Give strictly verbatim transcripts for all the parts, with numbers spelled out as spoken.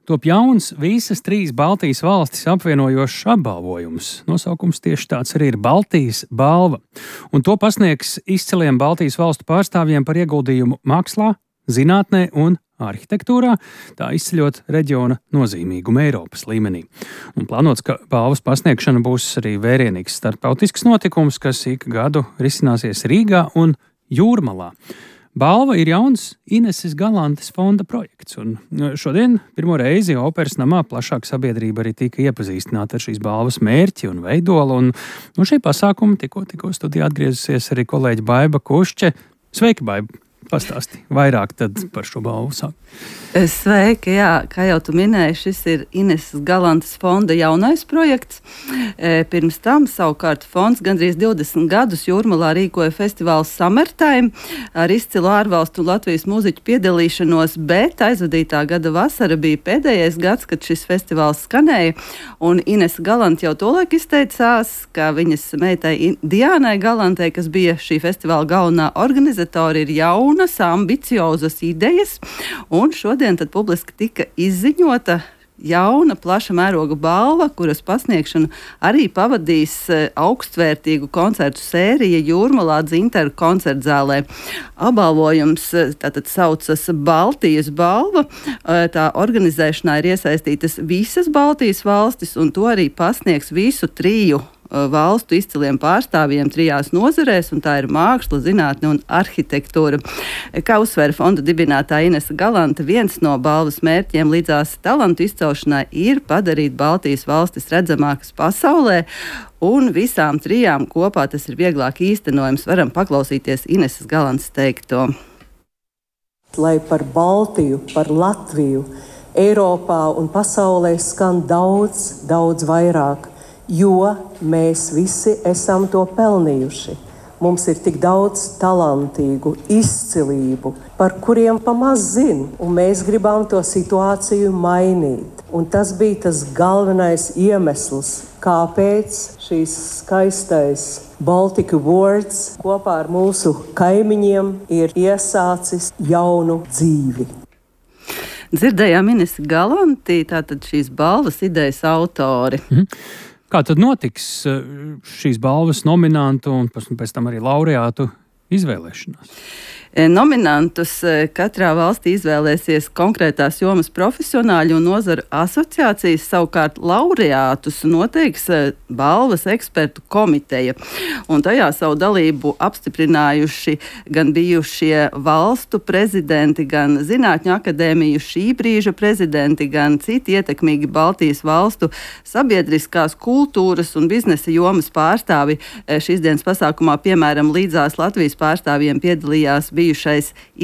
Top jauns visas trīs Baltijas valstis apvienojošs apbalvojums. Nosaukums tieši tāds arī ir Baltijas balva. Un to pasniegs izciliem Baltijas valstu pārstāvjiem par ieguldījumu mākslā, zinātnē un arhitektūrā, tā izceļot reģiona nozīmīgumu Eiropas līmenī. Un plānots, ka balvas pasniegšana būs arī vērienīgs starptautisks notikums, kas ik gadu risināsies Rīgā un Jūrmalā. Balva ir jauns Ineses Galantes fonda projekts, un šodien pirmo reizi Operas namā plašāka sabiedrība arī tika iepazīstināta ar šīs balvas mērķi un veidolu, un no šī pasākuma tikko, tikko studijā atgriezusies arī kolēģi Baiba Kušče. Sveiki, Baiba! Pastāsti vairāk tad par šo balvu sāk. Sveiki, jā, kā jau tu minēji, šis ir Ineses Galantes fonda jaunais projekts. Pirms tam savukārt fonds gandrīz divdesmit gadus Jūrmalā rīkoja festivālu Summertime ar izcilu ārvalstu Latvijas mūziķu piedalīšanos, bet aizvadītā gada vasara bija pēdējais gads, kad šis festivāls skanēja, un Inese Galante jau tolaik izteicās, ka viņas meitai Diānai Galantei, kas bija šī festivāla galvenā organizatora, ir jaunas, ambiciozas idejas, un šodien tad publiski tika izziņota jauna, plaša mēroga balva, kuras pasniegšanu arī pavadīs augstvērtīgu koncertu sērija Jūrmalā Dzintaru koncertzālē. Apbalvojums tātad saucas Baltijas balva. Tā organizēšanā ir iesaistītas visas Baltijas valstis, un to arī pasniegs visu triju valstu izciliem pārstāvjiem trijās nozarēs, un tā ir māksla, zinātne un arhitektūra. Kā uzsvēra fonda dibinātāja Inese Galante, viens no balvas mērķiem līdzās talantu izcelšanai ir padarīt Baltijas valstis redzamākas pasaulē, un visām trijām kopā tas ir vieglāk īstenojams. Varam paklausīties Ineses Galantes teikto. Lai par Baltiju, par Latviju, Eiropā un pasaulē skan daudz, daudz vairāk, jo mēs visi esam to pelnījuši. Mums ir tik daudz talantīgu, izcilību, par kuriem pamaz zin, un mēs gribam to situāciju mainīt. Un tas bija tas galvenais iemesls, kāpēc šīs skaistais Baltic Awards kopā ar mūsu kaimiņiem ir iesācis jaunu dzīvi. Dzirdējām Inesi Galanti, tātad šīs balvas idejas autori. Mhm. Kā tad notiks šīs balvas nominantu un pēc tam arī laureātu izvēlēšanās? Nominantus katrā valstī izvēlēsies konkrētās jomas profesionāļi un nozaru asociācijas, savukārt laureātus noteiks balvas ekspertu komiteja. Un tajā savu dalību apstiprinājuši gan bijušie valstu prezidenti, gan Zinātņu akadēmiju šī brīža prezidenti, gan citi ietekmīgi Baltijas valstu sabiedriskās kultūras un biznesa jomas pārstāvi. Šīs dienas pasākumā, piemēram, līdzās Latvijas pārstāvjiem piedalījās bijušais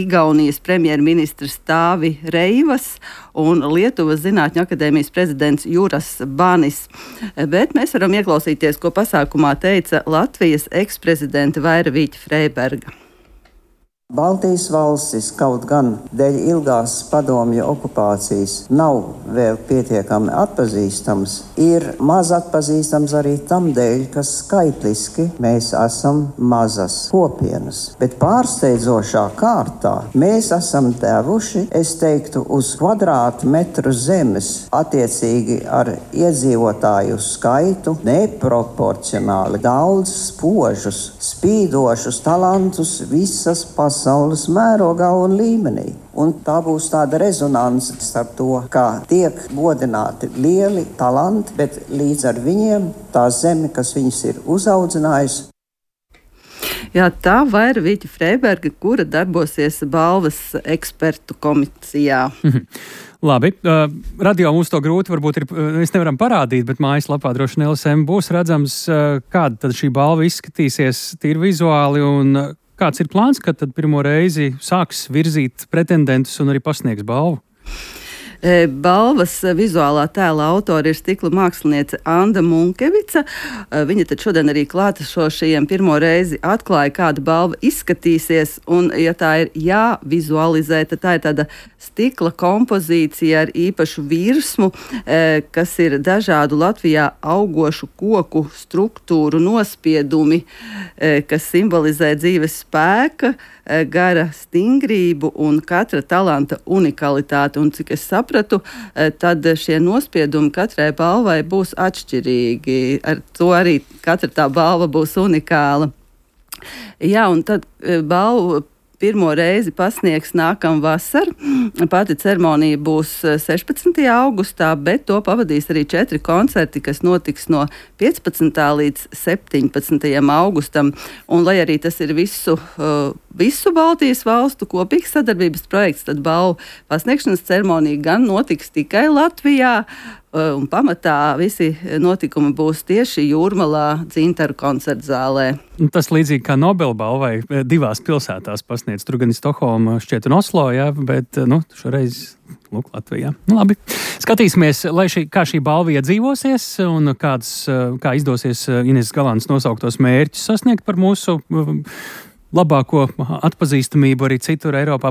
Igaunijas premjerministrs Tāvi Reivas un Lietuvas Zinātņu akadēmijas prezidents Juras Banis. Bet mēs varam ieklausīties, ko pasākumā teica Latvijas eksprezidente Vaira Vīķa Freiberga. Baltijas valstis, kaut gan dēļ ilgās padomju okupācijas nav vēl pietiekami atpazīstams, ir maz atpazīstams arī tam dēļ, ka skaitliski mēs esam mazas kopienas. Bet pārsteidzošā kārtā mēs esam devuši, es teiktu, uz kvadrātmetru zemes, attiecīgi ar iedzīvotāju skaitu, neproporcionāli daudz spožus, spīdošus talantus visas pasaules. pasaules mērogā un līmenī. Un tā būs tāda rezonanse starp to, kā tiek godināti lieli talanti, bet līdz ar viņiem tā zeme, kas viņus ir uzaudzinājusi. Jā, tā Vaira Vīķa Freiberga, kura darbosies balvas ekspertu komisijā. Mhm. Labi, uh, radio mums to grūti varbūt ir, mēs nevaram parādīt, bet mājaslapā droši vien L S M būs redzams, uh, kāda tad šī balva izskatīsies tīri vizuāli un uh, kāds ir plāns, kad tad pirmo reizi sāks virzīt pretendentus un arī pasniegs balvu? Balvas vizuālā tēla autori ir stikla māksliniece Anda Munkevica. Viņa tad šodien arī klātesošajiem pirmo reizi atklāja, kāda balva izskatīsies. Un, ja tā ir jāvizualizē, tad tā ir tāda stikla kompozīcija ar īpašu virsmu, kas ir dažādu Latvijā augošu koku struktūru nospiedumi, kas simbolizē dzīves spēka, gara stingrību un katra talanta unikalitāti. Un, cik es saprotu, sapratu, tad šie nospiedumi katrai balvai būs atšķirīgi. Ar to arī katra tā balva būs unikāla. Jā, un tad balvu pirmo reizi pasniegs nākamā vasara. Pati ceremonija būs sešpadsmitajā augustā, bet to pavadīs arī četri koncerti, kas notiks no piecpadsmitā līdz septiņpadsmitajam augustam. Un, lai arī tas ir visu, visu Baltijas valstu kopīgs sadarbības projekts, tad balvu pasniegšanas ceremonija gan notiks tikai Latvijā, un pamatā visi notikumi būs tieši Jūrmalā Dzintaru koncertzālē. Tas līdzīgi kā Nobela balvai divās pilsētās pasniedz. Tur gan ir Stokholma, šķiet, un Oslo, jā, bet nu, šoreiz lūk, Latvijā. Nu, labi. Skatīsimies, lai šī, kā šī balva iedzīvosies un kāds, kā izdosies Ineses Galantes nosauktos mērķus sasniegt par mūsu labāko atpazīstamību arī citur Eiropā